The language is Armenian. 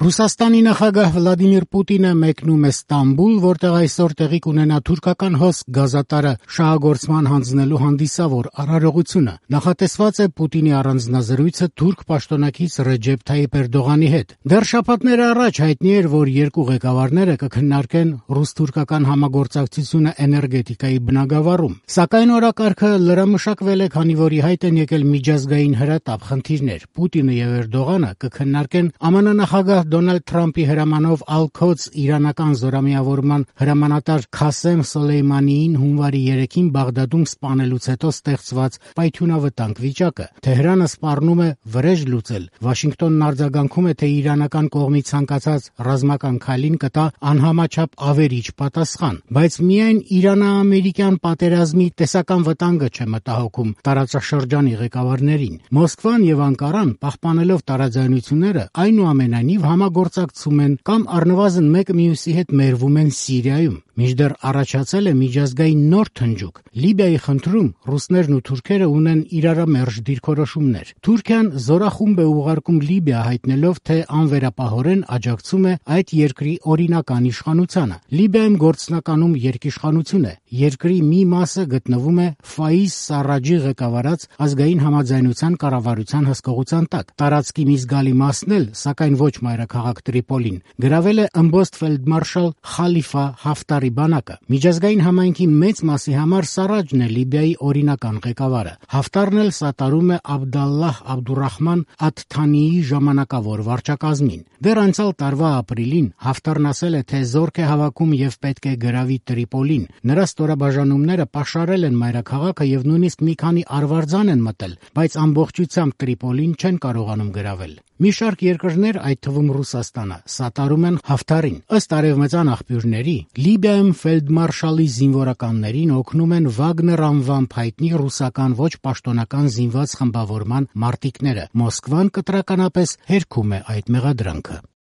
Ռուսաստանի նախագահ Վլադիմիր Պուտինը մեկնում է Ստամբուլ, որտեղ այսօր տեղի կունենա թուրքական հոսք գազատարը շահագործման հանձնելու հանդիսավոր արարողությունը։ Նախատեսված է Պուտինի առանձնազրույցը թուրք պաշտոնակից Ռեջեփ Թայիփ Էրդողանի հետ։ Դեռ շաբաթներ առաջ հայտնի էր, որ երկու ղեկավարները կքննարկեն ռուս-թուրքական համագործակցությունը էներգետիկայի բնագավառում։ Սակայն օրակարգը լրամշակվել է, քանի որ ի հայտ են եկել միջազգային հրատապ խնդիրներ։ Պուտինը եւ Էրդողանը կքննարկեն ԱՄՆ նախագահ Դոնալդ Թրամփի հրամանով Ալ-Քոց իրանական զորամիավորման հրամանատար Քասեմ Սոլեյմանիին հունվարի 3-ին Բաղդադում սպանելուց հետո ստեղծված պայթյունավտանգ վիճակը։ Թեհրանը սպառնում է վրեժ լուծել։ Վաշինգտոնն արձագանքում է, թե իրանական կողմից ցանկացած ռազմական քայլին կտա անհամաչափ ավերիչ պատասխան, բայց միայն Իրано-ամերիկյան պատերազմի տեսական վտանգը չէ մտահոգում տարածաշրջանի ղեկավարներին։ Մոսկվան եւ Անկարան, պահպանելով տարաձայնությունները, այնուամենայնիվ համագործակցում են կամ առնվազն մեկը մյուսի հետ մերվում են Սիրիայում։ Մինչդեռ առաջացել է միջազգային նոր թնջուկ։ Լիբիայի խնդրում ռուսներն ու թուրքերը ունեն իրարամերժ դիրքորոշումներ։ Թուրքիան զորախումբ է ուղարկում Լիբիա, հայտնելով, թե անվերապահորեն աջակցում է այդ երկրի օրինական իշխանությանը։ Լիբիայում գործնականում երկիշխանություն է։ Երկրի մի մասը գտնվում է Ֆայիզ Սարաջի ղեկավարած ազգային համաձայնության կառավարության հսկողության տակ։ Տարածքի մի զգալի մասն էլ, սակայն ոչ մայրաքաղաք Տրիպոլին, գրավել է ըմբոստ ֆելդմարշալ Խալիֆա Հաֆտարի բանակը։ Միջազգային համայնքի մեծ մասի համար Սարաջն է Լիբիայի օրինական ղեկավարը։ Հաֆտարն էլ սատարում է Աբդալլահ Աբդուրահման Աթ-Թանիի ժամանակավոր վարչակազմին։ Դեռ անցյալ տարվա ապրիլին Հաֆտարն ասել է, թե զորք է հավաքում եւ պետք է գրավի Տրիպոլին։ Նրա ստորաբաժանումները պաշարել են մայրաքաղաքը եւ նույնիսկ մի քանի արվարձան են մտել, բայց ամբողջությամբ Տրիպոլին չեն կարողանում գրավել։ Մի շարք երկրներ, այդ թվում Ռուսաստանը, սատարում են Հաֆտարին։ Ըստ արևմտյան աղբյուրների, Լիբիայում ֆելդմարշալի զինվորականներին օգնում են Վագներ անվամբ հայտնի ռուսական ոչ պաշտոնական զինված խմբավորման մարտիկները։ Մոսկվան կտրականապես հերքում է այդ մեղադրանքը։